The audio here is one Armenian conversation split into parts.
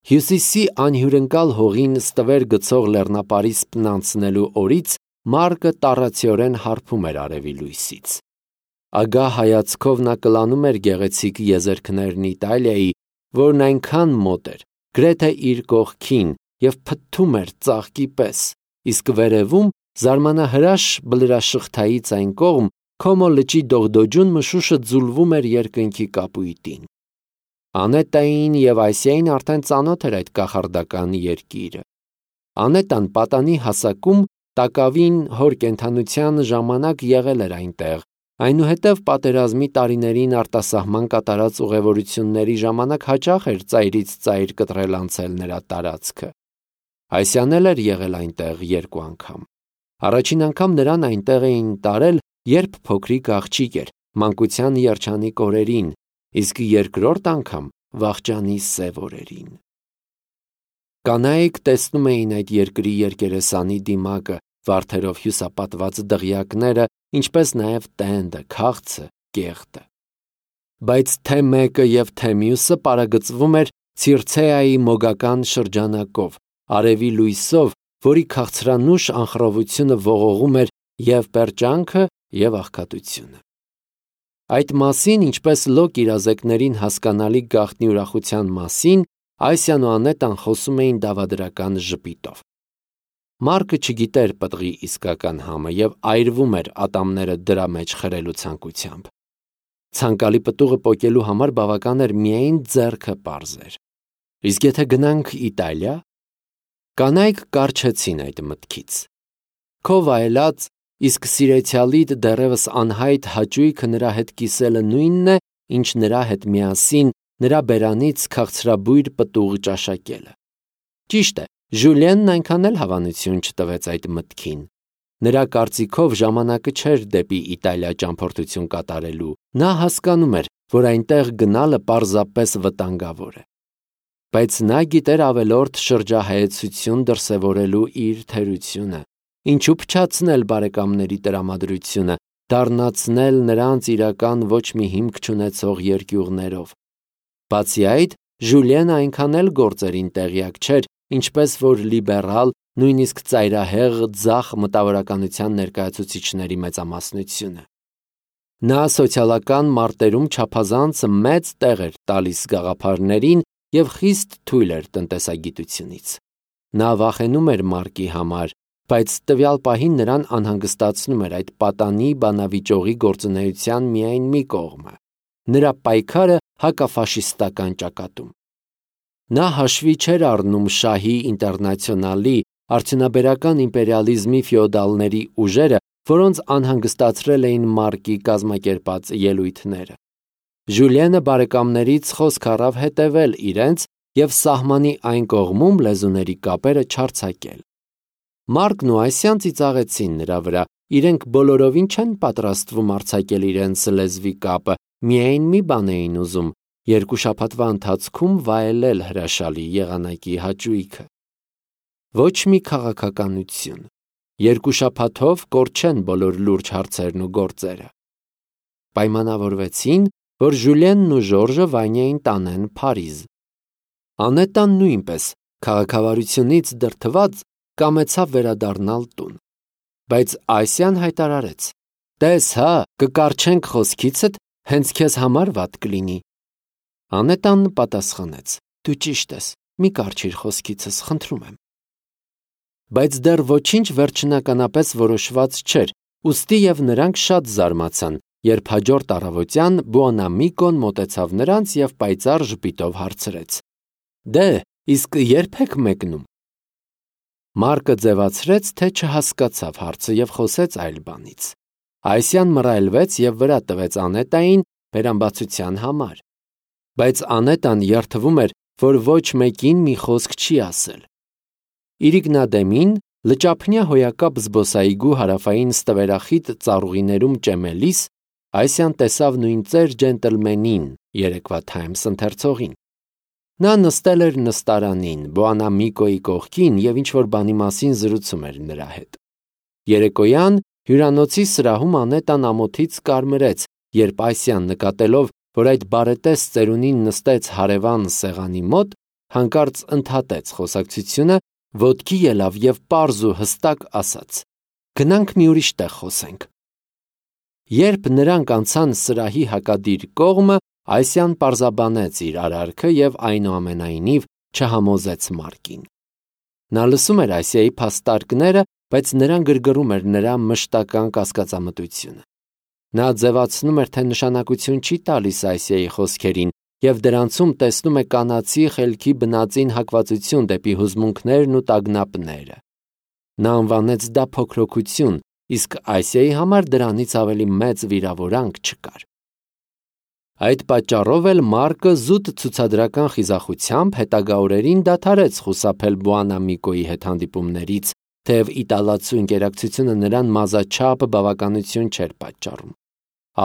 Հյուսիսի անհյուրընկալ հողին ստվեր գցող լեռնապարի սպնանցնելու օրից Մարկը տառացիորեն հարբում էր արևի լույսից։ Ագահ հայացքով նա կլանում էր գեղեցիկ եզերքներն Իտալիայի, որն այնքան մոտ էր, գրեթե իր կողքին, և փթթում էր ծաղկի պես, իսկ վերևում զարմանահրաշ բլրաշղթայից այն կողմ Քոմո լճի դողդոջուն մշուշը ձուլվում էր երկնքի կապույտին։ Անետային և Այսիային արդեն ծանոթ էր այդ կախարդական երկիրը։ Անետան պատանի հասակում տակավին հոր կենդանության ժամանակ եղել էր այնտեղ, այնուհետև պատերազմի տարիներին արտասահման կատարած ուղևորությունների ժամանակ հաճախ էր ծայրից ծայր կտրել անցել նրա տարածքը։ Այսիան էլ էր եղել այնտեղ 2 անգամ։ Առաջին անգամ նրան այնտեղ էին տարել, երբ փոքրիկ աղջիկ էր, մանկության երջանիկ օրերին, իսկ երկրորդ անգամ վախճանի սև օրերին։ Կանայք տեսնում էին այդ երկրի երկերեսանի դիմակը, վարդերով հյուսապատված դղյակները, ինչպես նաև տենդը, քաղցը, կեղտը։ Բայց թե մեկը և թե մյուսը պարագծվում էր Ցիրցեայի մոգական շրջանակով, արևի լույսով, որի քաղցրանուշ անխռովությունը ողողում էր և պերճանքը, և աղքատությունը։ Այդ մասին, ինչպես Լոկ իրազեկներին հասկանալի գաղտնի ուրախության մասին, Այսիան ու Անետան խոսում էին դավադրական ժպիտով։ Մարկը չգիտեր պտղի իսկական համը և այրվում էր ատամները դրա մեջ խրելու ցանկությամբ։ Ցանկալի պտուղը պոկելու համար բավական էր միայն ձեռքը պարզեր։ Իսկ եթե գնանք Իտալիա։ Կանայք կառչեցին այդ մտքից։ Քո վայելած, իսկ սիրեցյալիդ դեռևս անհայտ հաճույքը նրա հետ կիսելը նույնն է, ինչ նրա հետ միասին նրա բերանից քաղցրաբույր պտուղ ճաշակելը։ Ճիշտ է, Ժուլիենն այնքան էլ հավանություն չտվեց այդ մտքին։ Նրա կարծիքով ժամանակը չէր դեպի Իտալիա ճամփորդություն կատարելու։ Նա հասկանում էր, որ այնտեղ գնալը պարզապես վտանգավոր է։ Բայց նա գիտեր ավելորդ շրջահայեցություն դրսևորելու իր թերությունը, ինչու փչացնել բարեկամների տրամադրությունը, դառնացնել նրանց իրական ոչ մի հիմք չունեցող երկյուղներով։ Բացի այդ, Ժուլիենը այնքան էլ գործերին տեղյակ չէր, ինչպես որ լիբերալ, նույնիսկ ծայրահեղ ձախ մտավորականության ներկայացուցիչների մեծամասնությունը։ Նա սոցիալական մարտերում չափազանց մեծ տեղ էր տալիս գաղափարներին և խիստ թույլ էր տնտեսագիտությունից։ Նա վախենում էր Մարկի համար, բայց տվյալ պահին նրան անհանգստացնում էր այդ պատանի բանավիճողի գործունեության միայն մի կողմը՝ նրա պայքարը հակաֆաշիստական ճակատում։ Նա հաշվի չէր առնում շահի ինտերնացիոնալի, արդյունաբերական իմպերիալիզմի ֆեոդալների ուժերը, որոնց անհանգստացրել էին Մարկի կազմակերպած ելույթները։ Ժուլիենը բարեկամներից խոսք առավ հետևել իրենց և սահմանի այն կողմում լեզուների կապերը չարձակել։ Մարկն ու Այսիան ծիծաղեցին նրա վրա, իրենք բոլորովին չեն պատրաստվում արձակել իրենց լեզվի կապը, միայն մի բան էին ուզում՝ 2 շաբաթվա ընթացքում վայելել հրաշալի եղանակի հաճույքը։ Ոչ մի քաղաքականություն։ 2 շաբաթով կորչեն բոլոր լուրջ հարցերն ու գործերը։ Պայմանավորվեցին, որ Ժուլիենն ու Ժորժը Վանյային տանեն Փարիզ։ Անետան նույնպես, քաղաքավարությունից դրդված, կամեցավ վերադառնալ տուն։ Բայց Այսիան հայտարարեց. «Տես հա, կկառչենք խոսքիցդ, հենց քեզ համար վատ կլինի»։ Անետան պատասխանեց. «Դու ճիշտ ես, մի կառչիր խոսքիցս, խնդրում եմ»։ Բայց դեռ ոչինչ վերջնականապես որոշված չէր, ուստի և նրանք շատ զարմացան, երբ հաջորդ առավոտյան Բուոնամիկոն մոտեցավ նրանց և պայծառ ժպիտով հարցրեց. «Դե, իսկ ե՞րբ եք մեկնում»։ Մարկը ձևացրեց, թե չհասկացավ հարցը և խոսեց այլ բանից։ Այսիան մռայլվեց և վրա տվեց Անետային բերամբացության համար։ Բայց Անետան երդվում էր, որ ոչ մեկին մի խոսք չի ասել։ Իրիկնադեմին լճափնյա հոյակապ զբոսայգու հարավային ստվերախիտ ծառուղիներում ճեմելիս Այսիան տեսավ նույն ծեր ջենտլմենին, երեկվա Times ընթերցողին։ Նա նստել էր նստարանին, Բուոնամիկոյի կողքին և ինչ-որ բանի մասին զրուցում էր նրա հետ։ Երեկոյան հյուրանոցի սրահում Անետան ամոթից կարմրեց, երբ Այսիան նկատելով, որ այդ բարետես ծերունին նստեց հարևան սեղանի մոտ, հանկարծ ընդհատեց խոսակցությունը, ոտքի ելավ եւ պարզ ու հստակ ասաց. «Գնանք մի ուրիշ տեղ խոսենք»։ Երբ նրանք անցան սրահի հակադիր կողմը, Այսիան պարզաբանեց իր արարքը եւ այնուամենայնիվ չհամոզեց Մարկին։ Նա լսում էր Այսիայի փաստարկները, բայց նրան գրգռում էր նրա մշտական կասկածամտությունը։ Նա ձևացնում էր, թե նշանակություն չի տալիս Այսիայի խոսքերին եւ դրանցում տեսնում է կանացի խելքի բնածին հակվածություն դեպի հուզմունքներն ու տագնապները։ Նա անվանեց դա փոքրոքություն, իսկ Այսիայի համար դրանից ավելի մեծ վիրավորանք չկար։ Այդ պատճառով էլ Մարկը զուտ ցուցադրական խիզախությամբ հետագա օրերին դադարեց խուսափել Բուանամիկոյի հետ հանդիպումներից, թեև իտալացու ինտերակցիոնը նրան մազաչափ բավականություն չէր պատճառում։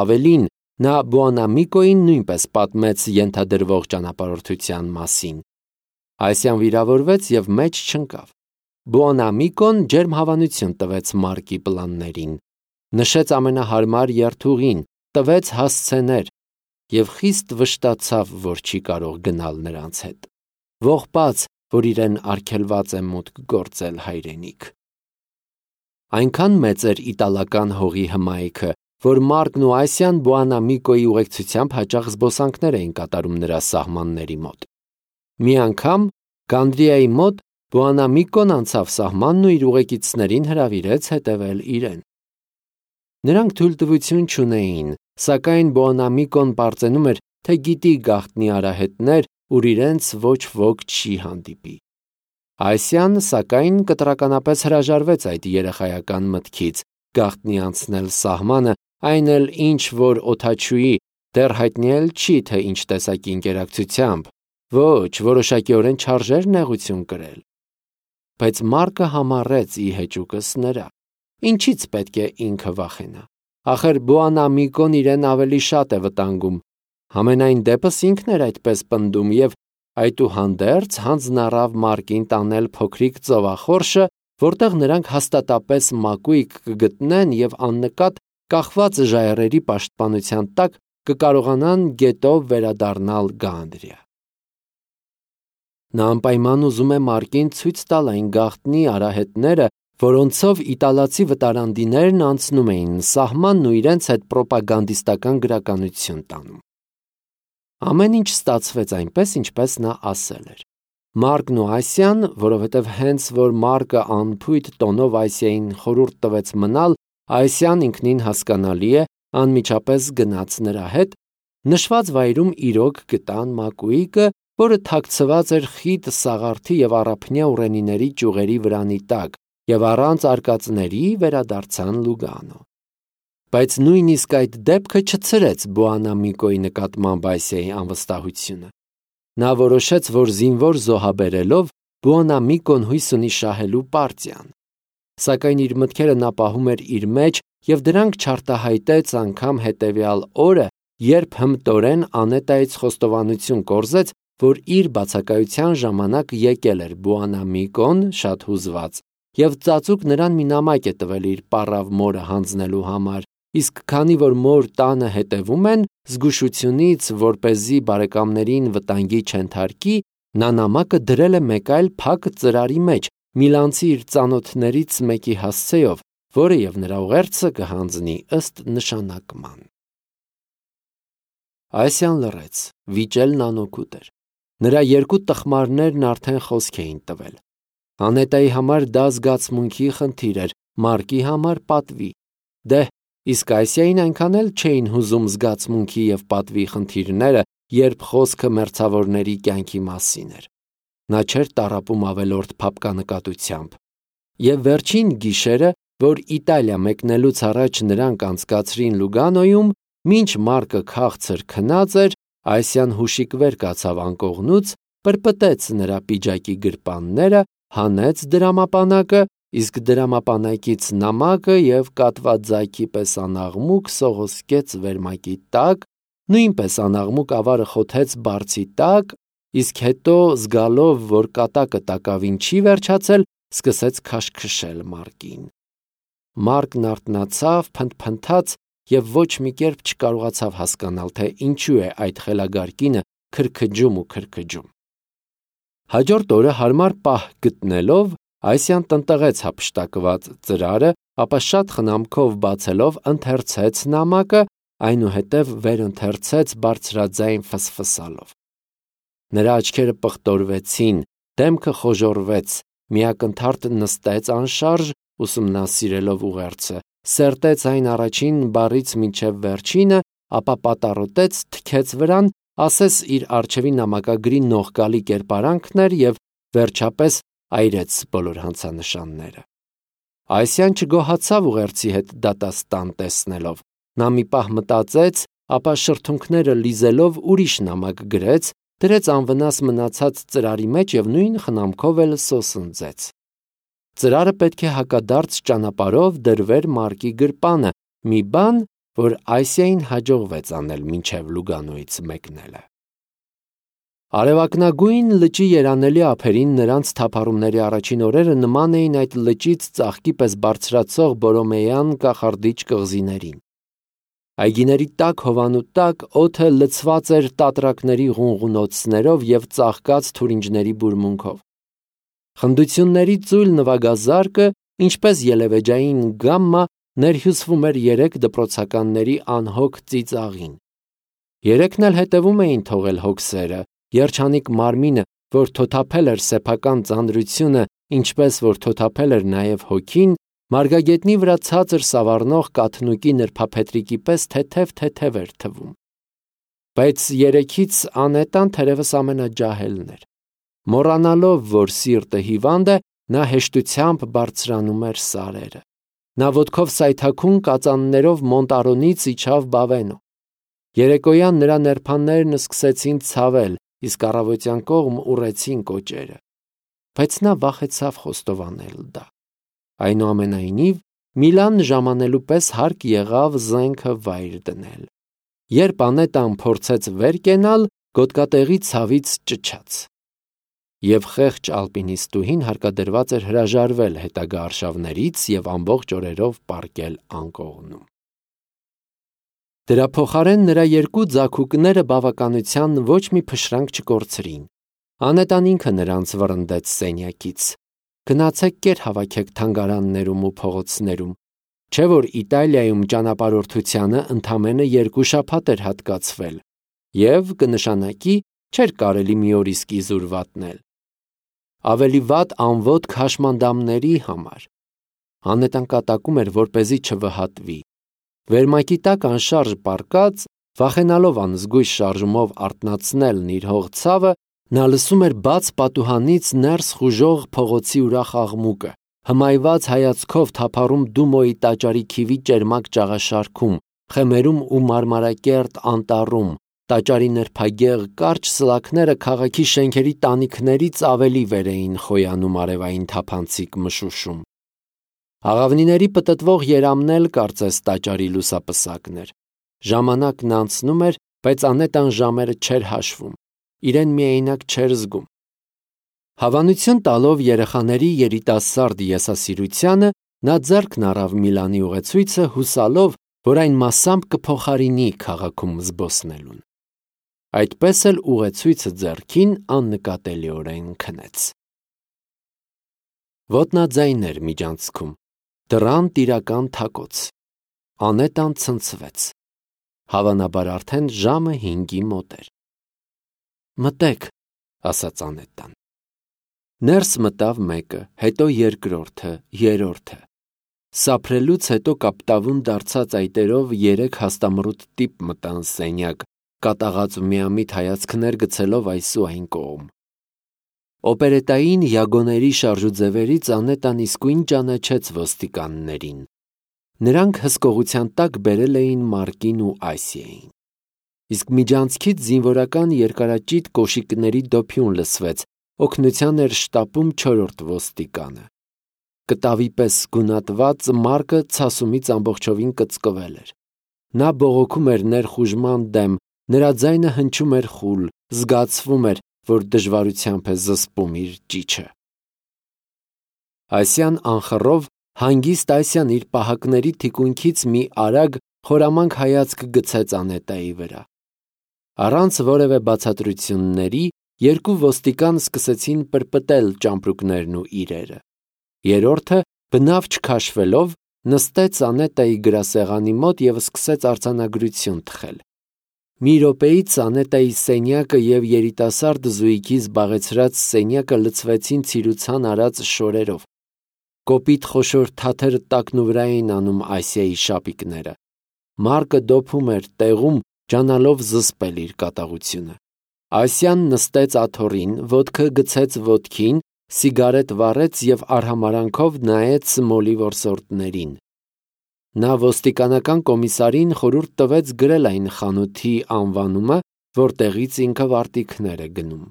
Ավելին, նա Բուանամիկոյին նույնպես պատմեց ենթադրվող ճանապարհորդության մասին։ Այսիան վիրավորվեց եւ մեջ չընկավ։ Բուանամիկոն ջերմ հավանություն տվեց Մարկի պլաններին, նշեց ամենահարմար երթուղին, տվեց հասցեներ եւ խիստ վշտացավ, որ չի կարող գնալ նրանց հետ, ողբաց, որ իրեն արգելված է մուտք գործել հայրենիք։ Այնքան մեծ էր իտալական հողի հմայքը, որ Մարկն ու Այսիան Բուանամիկոյի ուղեկցությամբ հաճախ զբոսանքներ էին կատարում նրա սահմանների մոտ։ Մի անգամ Գանդրիայի մոտ Բուանամիկոն անցավ սահմանն ու իր ուղեկիցներին հրավիրեց հետևել իրեն։ Նրանք թույլտվություն չունեին, սակայն Բուանամիկոն պարծենում էր, թե գիտի գաղտնի արահետներ, ուր իրենց ոչ ոք չի հանդիպի։ Այսիան, սակայն, կտրականապես հրաժարվեց այդ երեխայական մտքից գաղտնի անցնել սահմանը, այն էլ ինչ որ օդաչուի, դեռ հայտնի չի, թե ինչ տեսակի ինտերակցիությամբ, ոչ, որոշակիորեն չարժեր նեղություն կրել։ Բայց Մարկը համառեց ի հեճուկս նրա։ Ինչից պետք է ինքը վախենա։ Ախր Բուանամիկոն իրեն ավելի շատ է վտանգում։ Համենայն դեպս ինքն էր այդպես պնդում եւ այդուհանդերձ հանձնառավ Մարկին տանել փոքրիկ ծովախորշը, որտեղ նրանք հաստատապես մակույկ կգտնեն եւ աննկատ կախված ժայռերի պաշտպանության տակ կկարողանան գետով վերադառնալ Գանդրիա։ Նա անպայման ուզում է Մարկին ցույց տալ այն գաղտնի արահետները, որոնցով իտալացի վտարանդիներն անցնում էին սահմանն ու իրենց հետ պրոպագանդիստական գրականություն տանում։ Ամեն ինչ ստացվեց այնպես, ինչպես նա ասել էր։ Մարկն ու Այսիան, որովհետև հենց որ Մարկը անփույթ տոնով Այսիային խորհուրդ տվեց մնալ, Այսիան ինքնին հասկանալի է, անմիջապես գնաց նրա հետ, նշված վայրում իրոք գտան մակույկը, որը թաքցված էր խիտ սաղարթի եւ առափնյա ուռենիների ճյուղերի վրանի տակ, եւ առանց արկածների վերադարձան Լուգանո։ Բայց նույնիսկ այդ դեպքը չցրեց Բուանամիկոյի նկատմամբ Այսիայի անվստահությունը։ Նա որոշեց, որ զինվոր զոհաբերելով Բուանամիկոն հույս ունի շահելու պարտիան։ Սակայն իր մտքերը նա պահում էր իր մեջ եւ դրանք չարտահայտեց անգամ հետեւյալ օրը, երբ հմտորեն Անետայից խոստովանություն կորզեց, որ իր բացակայության ժամանակ եկել էր Բուանամիկոն շատ հուզված եւ ծածուկ նրան մի նամակ է տվել իր պառավ մորը հանձնելու համար, իսկ քանի որ մոր տանը հետևում են, զգուշությունից, որպեսզի բարեկամներին վտանգի չենթարկի, նա նամակը դրել է մեկ այլ փակ ծրարի մեջ, միլանցի իր ծանոթներից մեկի հասցեով, որը եւ նրա ուղերձը կհանձնի ըստ նշանակման։ Այսիան լռեց, վիճելն անօգուտ էր։ Նրա երկու տխմարներն արդեն խոսք էին տվել։ Անետայի համար դա զգացմունքի խնդիր էր, Մարկի համար պատվի։ Դե, իսկ Այսիային այնքան էլ չէին հուզում զգացմունքի եւ պատվի խնդիրները, երբ խոսքը մերձավորների կյանքի մասին էր։ Նա չէր տառապում ավելորդ փափկանկատությամբ։ Եվ վերջին գիշերը, որ Իտալիա մեկնելուց առաջ նրանք անցկացրին Լուգանոյում, մինչ Մարկը քաղցր քնած էր, Այսիան հուշիկ վեր կացավ անկողնուց, պրպտեց նրա պիջակի գրպանները, հանեց դրամապանակը, իսկ դրամապանակից նամակը եւ կատված ձայքի պես անաղմուկ սողոսկեց վերմակի տակ, նույնպես անաղմուկ ավարը խոթեց բարձի տակ, իսկ հետո զգալով, որ կատակը տակավին չի վերջացել, սկսեց քաշքշել Մարկին։ Մարկն արթնացավ, փնթփնթաց եւ ոչ մի կերպ չկարողացավ հասկանալ, թե ինչու է այդ խելագար կինը քրքջում ու քրքջում։ Հաջորդ օրը հարմար պահ գտնելով Այսյան տնտղեց հափշտակված ծրարը, ապա շատ խնամքով բացելով ընթերցեց նամակը, այնուհետև վերընթերցեց բարձրաձայն ֆսֆսալով։ Նրա աչքերը պղտորվեցին, դեմքը խոժորվեց, միակնթարթ նստեց անշարժ, ուսումնասիրելով ուղերձը, սերտեց այն առաջին բառից մինչև վերջինը, ապա պատառոտեց, թքեց վրան, ասես իր առջևի նամակագրի նողկալի կերպարանքն էր և վերջապես այրեց բոլոր հանցանշանները։ Այսյան չգոհացավ ուղերձի հետ դատաստան տեսնելով, նա մի պահ մտածեց, ապա շրթունքները լիզելով ուրիշ նամակ գրեց, դրեց անվնաս մնացած ծրարի մեջ և նույն խնամքով էլ սոսնձեց։ Ծրարը պետք է հակադարձ ճանապարհով դրվեր Մարկի գրպանը, մի բան, որ Այսիային հաջողվեց անել մինչև Լուգանոյից մեկնելը։ Արևակնագույն լճի երանելի ափերին նրանց թափառումների առաջին օրերը նման էին այդ լճից ծաղկի պես բարձրացող բորոմեյան կախարդիչ կղզիներին։ Այգիների տաք հովանու տակ օդը լցված էր տատրակների ղունղունոցներով և ծաղկած թուրինջների բուրմունքով։ Խնդությունների ծույլ նվագազարկը, ինչպես ելևեջային գամմա, ներհյուսվում էր երեք դպրոցականների անհոգ ծիծաղին։ Երեքն էլ հետևում էին թողել հոգսերը, երջանիկ մարմինը, որ թոթափել էր սեփական ծանրությունը, ինչպես որ թոթափել էր նաև հոգին, մարգագետնի վրա ցածր սավառնող կաթնուկի նրբափետրիկի պես թեթև էր թվում։ Բայց երեքից Անետան թերևս ամենաջահելն էր։ Մոռանալով, որ սիրտը հիվանդ է, նա հեշտությամբ բարձրանում էր սարերը։ Նա ոտքով սայթաքուն կածաններով Մոնտարոնից իջավ Բավենո։ Երեկոյան նրա նրբաններն սկսեցին ցավել, իսկ առավոտյան կողմ ուռեցին կոճերը։ Բայց նա վախեցավ խոստովանել դա։ Այնուամենայնիվ, Միլան ժամանելու պես հարկ եղավ զենքը վայր դնել։ Երբ Անետան փորձեց վեր կենալ, գոտկատեղի ցավից ճչաց։ Եվ խեղճ ալպինիստուհին հարկադրված էր հրաժարվել հետագա արշավներից և ամբողջ օրերով պառկել անկողնում։ Դրա փոխարեն նրա երկու ձագուկները բավականության ոչ մի փշրանք չկորցրին։ Անետան ինքը նրանց վռնդեց սենյակից։ Գնացեք կեր հավաքեք թանգարաններում ու փողոցներում, չէ որ Իտալիայում ճանապարհորդությանը ընդամենը 2 շաբաթ էր հատկացվել, և կնշանակի չէր կարելի մի օր իսկ իզուր վատնել։ Ավելի վատ անոտք հաշմանդամների համար։ Անետան կատակում էր, որպեսզի չվհատվի։ Վերմակի տակ անշարժ պառկած, վախենալով անզգույշ շարժումով արթնացնելն իր հող ցավը, նա լսում էր բաց պատուհանից ներս խուժող փողոցի ուրախ աղմուկը, հմայված հայացքով թափառում Դումոյի տաճարի քիվի ճերմակ ճաղաշարքում, խեմերում ու մարմարակերտ անտառում, տաճարի նրբագեղ կարճ սլաքները քաղաքի շենքերի տանիքներից ավելի վեր էին խոյանում արևային թափանցիկ մշուշում։ Աղավնիների պտտվող երամն էլ կարծես տաճարի լուսապսակն էր։ Ժամանակն անցնում էր, բայց Անետան ժամերը չէր հաշվում, իրեն միայնակ չէր զգում։ Հավանություն տալով երեխաների երիտասարդ եսասիրությանը, նա ձեռքն առավ Միլանի ուղեցույցը, հուսալով, որ այն մասամբ կփոխարինի քաղաքում զբոսնելուն։ Այդպես էլ ուղեցույցը ձեռքին աննկատելիորեն քնեց։ Ոտնաձայն էր միջանցքում, դռան տիրական թակոց։ Անետան ցնցվեց։ Հավանաբար արդեն ժամը 5-ի մոտ էր։ Մտեք, ասաց Անետան։ Ներս մտավ մեկը, հետո երկրորդը, երրորդը։ Սափրելուց հետո կապտավուն դարձած այտերով 3 հաստամռութ տիպ մտան սենյակ, կատաղած ու միամիտ հայացքներ գցելով այս ու այն կողմ։ Օպերետային յագոների շարժուձևերից Անետան իսկույն ճանաչեց ոստիկաններին։ Նրանք հսկողության տակ բերել էին Մարկին ու Այսիային։ Իսկ միջանցքից զինվորական երկարաճիտ կոշիկների դոփյուն լսվեց, օգնության էր շտապում 4-րդ ոստիկանը։ Կտավի պես գունատված Մարկը ցասումից ամբողջովին կծկվել էր։ Նա բողոքում էր ներխուժման դեմ, նրա ձայնը հնչում էր խուլ, զգացվում էր, որ դժվարությամբ է զսպում իր ճիչը։ Այսյան անխռով հանգիստ Այսյան իր պահակների թիկունքից մի արագ խորամանկ հայացք գցեց Անետայի վրա։ Առանց որևէ բացատրությունների Երկու ոստիկան սկսեցին պրպտել ճամպրուկներն ու իրերը։ Երրորդը, բնավ չքաշվելով, նստեց Անետայի գրասեղանի մոտ և սկսեց արձանագրություն թխել։ Մի րոպեից Անետայի սենյակը և երիտասարդ զույգի զբաղեցրած սենյակը լցվեցին ցիրուցան արած շորերով։ Կոպիտ խոշոր թաթերը տակնուվրա էին անում Ասիայի շապիկները։ Մարկը դոփում էր տեղում, ջանալով զսպել իր կատաղությունը։ Ասիան նստեց աթոռին, ոտքը գցեց ոտքին, սիգարետ վառեց և արհամարանքով նայեց մոլի որսորդներին։ Նա ոստիկանական կոմիսարին խորհուրդ տվեց գրել այն խանութի անվանումը, որտեղից ինքը վարտիքներ է գնում։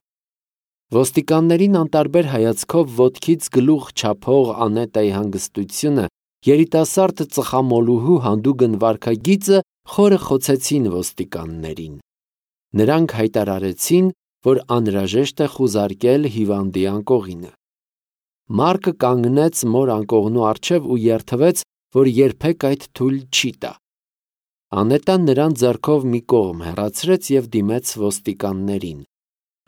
Ոստիկաններին անտարբեր հայացքով ոտքից գլուխ չափող Անետայի հանգստությունը, երիտասարդ ծխամոլուհու հանդուգն վարքագիծը խորը խոցեցին ոստիկաններին։ Նրանք հայտարարեցին, որ անհրաժեշտ է խուզարկել հիվանդի անկողինը։ Մարկը կանգնեց մոր անկողնու առջև ու երդվեց, որ երբեք այդ թույլ չի տա։ Անետան նրան ձեռքով մի կողմ հեռացրեց և դիմեց ոստիկաններին։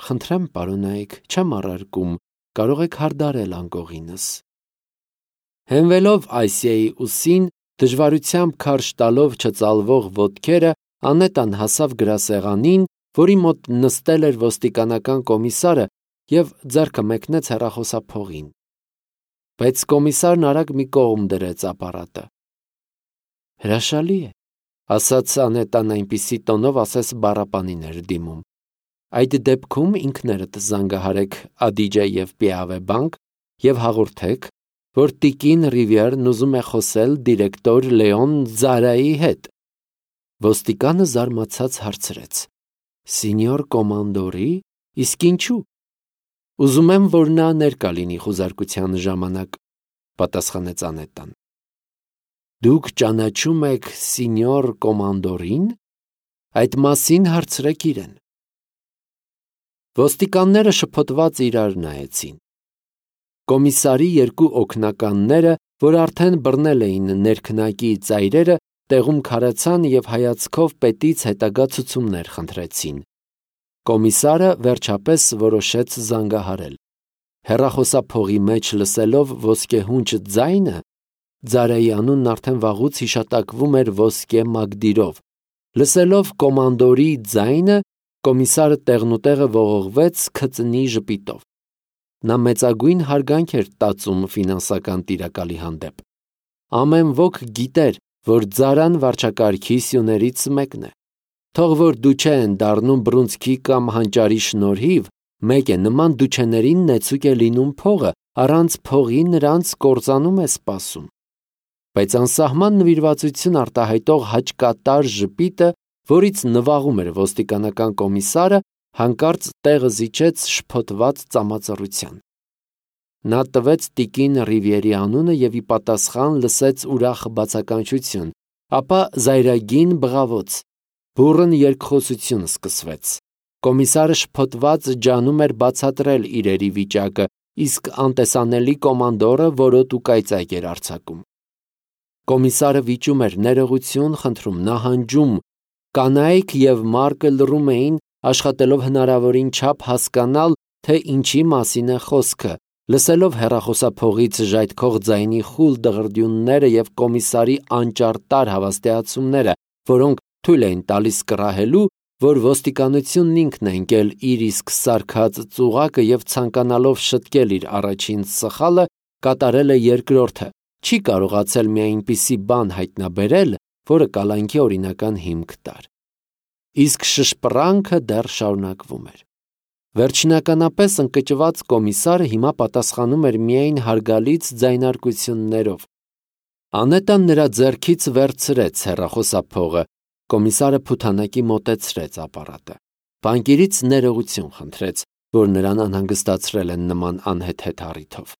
«Խնդրեմ, պարոնայք, չեմ առարկում, կարող եք հարդարել անկողինս»։ Հենվելով Ասիայի ուսին, դժվարությամբ քարշ տալով չծալվող ոտքերը, Անետան հասավ գրասեղանին, որի մոտ նստել էր ոստիկանական կոմիսարը, և ձեռքը մեկնեց հեռախոսափողին։ Բայց կոմիսարն արագ մի կողմ դրեց ապարատը։ «Հրաշալի է», ասաց Անետան այնպիսի տոնով, ասես բառապանին էր դիմում։ «Այդ դեպքում ինքներդ զանգահարեք Ադիջե և Պիավե բանկ և հաղորդեք, որ տիկին Ռիվիերն ուզում է խոսել դիրեկտոր Լեոն Ձարայի հետ»։ Ոստիկանը զարմացած հարցրեց. «Սինյոր կոմանդորի, իսկ ինչու»։ «Ուզում եմ, որ նա ներկա լինի խուզարկության ժամանակ», պատասխանեց Անետան։ «Դուք ճանաչում եք սինյոր կոմանդորին, այդ մասին հարցրեք իրեն»։ Ոստիկանները շփոթված իրար նայեցին։ Կոմիսարի երկու օգնականները, որ արդեն բռնել էին ներքնակի ծայրերը, տեղում քարացան և հայացքով պետից հետագա ցուցումներ խնդրեցին։ Կոմիսարը վերջապես որոշեց զանգահարել։ Հեռախոսափողի մեջ լսելով ոսկեհունչ ձայնը, Ձարայի անունն արդեն վաղուց հիշատակվում էր ոսկե մագդիրով։ Լսելով կոմանդորի ձայնը, կոմիսարը տեղնուտեղը ողողվեց քծնի ժպիտով։ Նա մեծագույն հարգանք էր տածում ֆինանսական տիրակալի հանդեպ։ Ամեն ոք գիտեր, որ Ձարան վարչակարգի սյուներից մեկն է։ Թող որ դուչե են դառնում բռունցքի կամ հանճարի շնորհիվ, մեկ է, նման դուչեներին նեցուկ է լինում փողը, առանց փողի նրանց կործանում է սպասում։ Բայց անսահման նվիրվածություն արտահայտող հաճկատար ժպիտը, որից նվաղում էր ոստիկանական կոմիսարը, հանկարծ տեղը զիջեց շփոթված ծամածռության։ Նա տվեց տիկին Ռիվիերի անունը և ի պատասխան լսեց ուրախ բացականչություն, ապա զայրագին բղավոց։ Բուռն երկխոսություն սկսվեց։ Կոմիսարը շփոթված ջանում էր բացատրել իրերի վիճակը, իսկ անտեսանելի կոմանդորը որոտ ու կայծակ էր արձակում։ Կոմիսարը վիճում էր ներողություն խնդրում, նահանջում։ Կանայք և Մարկը լռում էին, աշխատելով հնարավորին չափ հասկանալ, թե ինչի մասին է խոսքը, լսելով հեռախոսափողից ժայթքող ձայնի խուլ դղրդյունները և կոմիսարի անճարտար հավաստիացումները, որոնք թույլ էին տալիս կռահելու, որ ոստիկանությունն ինքն է ընկել իր իսկ սարքած ծուղակը և ցանկանալով շտկել իր առաջին սխալը, կատարել է երկրորդը, չի կարողացել մի այնպիսի բան հայտնաբերել, որը կալանքի օրինական հիմք տար։ Իսկ շշպռանքը դեռ շարունակվում էր։ Վերջնականապես ընկճված կոմիսարը հիմա պատասխանում էր միայն հարգալից ձայնարկություններով։ Անետան նրա ձեռքից վերցրեց հեռախոսափողը, կոմիսարը փութանակի մոտեցրեց ապարատը։ Բանկիրից ներողություն խնդրեց, որ նրան անհանգստացրել են նման անհեթեթ առիթով։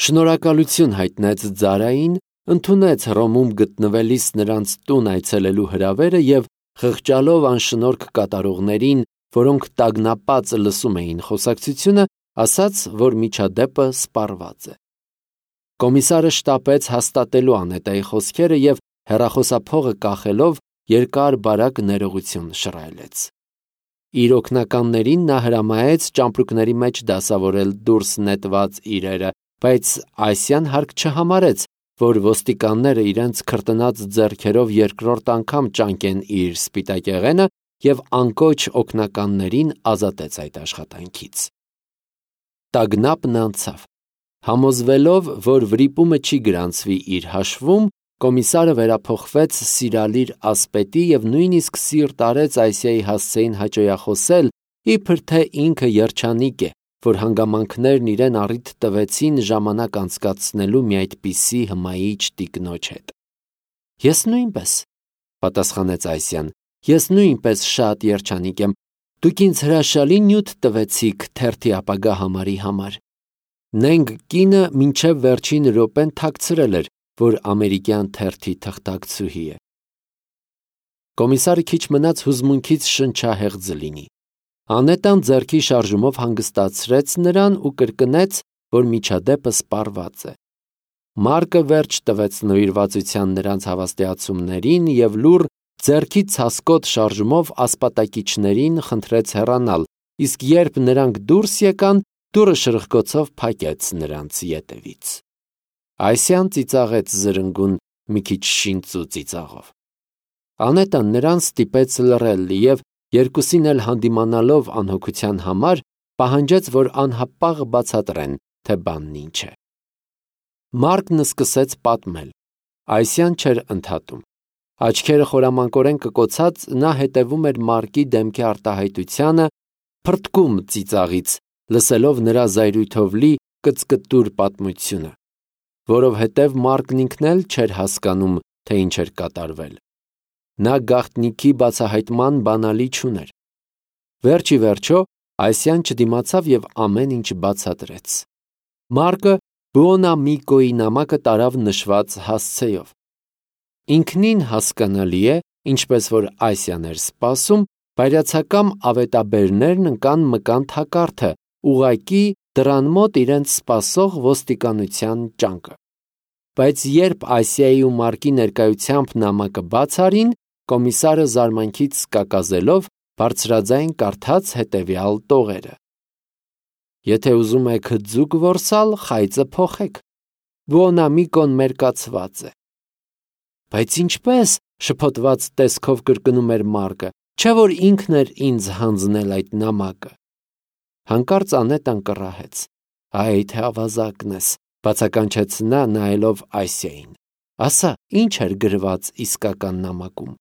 Շնորհակալություն հայտնեց Ձարային, ընդունեց Հռոմում գտնվելիս նրանց տուն այցելելու հրավերը և խղճալով անշնորհք կատարողներին, որոնք տագնապած լսում էին խոսակցությունը, ասաց, որ միջադեպը սպառված է։ Կոմիսարը շտապեց հաստատելու Անետայի խոսքերը և հեռախոսափողը կախելով երկար բարակ ներողություն շռայլեց։ Իր օգնականներին նա հրամայեց ճամպրուկների մեջ դասավորել դուրս նետված իրերը, բայց Այսյան հարկ չհամարեց, որ ոստիկանները իրենց քրտնած ձեռքերով երկրորդ անգամ ճանկեն իր սպիտակեղենը և անկոչ օգնականներին ազատեց այդ աշխատանքից։ Տագնապն անցավ։ Համոզվելով, որ վրիպումը չի գրանցվի իր հաշվում, կոմիսարը վերափոխվեց սիրալիր ասպետի և նույնիսկ սիրտ արեց Այսիայի հասցեին հաճոյախոսել, իբր թե ինքը երջանիկ է, որ հանգամանքներն իրեն առիթ տվեցին ժամանակ անցկացնելու մի այդպիսի հմայիչ տիկնոջ հետ։ Ես նույնպես, պատասխանեց Այսյան, ես նույնպես շատ երջանիկ եմ, դուք ինձ հրաշալի նյութ տվեցիք թերթի ապագա համարի համար։ Նենք կինը մինչև վերջին րոպեն թաքցրել էր, որ ամերիկյան թերթի թղթակցուհի է։ Կոմիսարը քիչ մնաց հուզմունքից շնչահեղձ լինի։ Անետան ձեռքի շարժումով հանգստացրեց նրան ու կրկնեց, որ միջադեպը սպառված է։ Մարկը վերջ տվեց նվիրվածության նրանց հավաստիացումներին և լուռ ձեռքի ցասկոտ շարժումով ասպատակիչներին խնդրեց հեռանալ, իսկ երբ նրանք դուրս եկան, դուռը շրխկոցով փակեց նրանց ետևից։ Այսյան ծիծաղեց զրնգուն մի քիչ շինծու ծիծաղով։ Անետան նրան ստիպեց լռել և երկուսին էլ հանդիմանալով անհոգության համար, պահանջեց, որ անհապաղ բացատրեն, թե բանն ինչ է։ Մարկն սկսեց պատմել։ Այսյան չէր ընդհատում։ Աչքերը խորամանկորեն կկոցած նա հետևում էր Մարկի դեմքի արտահայտությանը, փրթկում ծիծաղից, լսելով նրա զայրույթով լի կծկտուր պատմությունը, որովհետև Մարկն ինքն էլ չէր հասկանում, թե ինչ էր կատարվել։ Նա գաղտնիքի բացահայտման բանալի չուներ։ Վերջ ի վերջո Այսյան չդիմացավ և ամեն ինչ բացատրեց։ Մարկը Բուոնամիկոյի նամակը տարավ նշված հասցեով։ Ինքնին հասկանալի է, ինչպես որ Այսյան էր սպասում, բայրացակամ ավետաբերներն ընկան մկան թակարդը, ուղղակի դռան մոտ իրենց սպասող ոստիկանության ճանկը։ Բայց երբ Այսիայի ու Մարկի ներկայությամբ նամակը բաց արին, կոմիսարը զարմանքից կակազելով բարձրաձայն կարդաց հետևյալ տողերը. Եթե ուզում եք ձուկ որսալ, խայծը փոխեք։ Բուոնամիկոն մերկացված է։ Բայց ինչպես, շփոթված տեսքով կրկնում էր Մարկը, չէ որ ինքն էր ինձ հանձնել այդ նամակը։ Հանկարծ Անետան կռահեց. Այ թե ավազակն ես, բացականչեց նա նայելով Այսիային։ Ասա, ինչ էր գրված իսկական նամակում։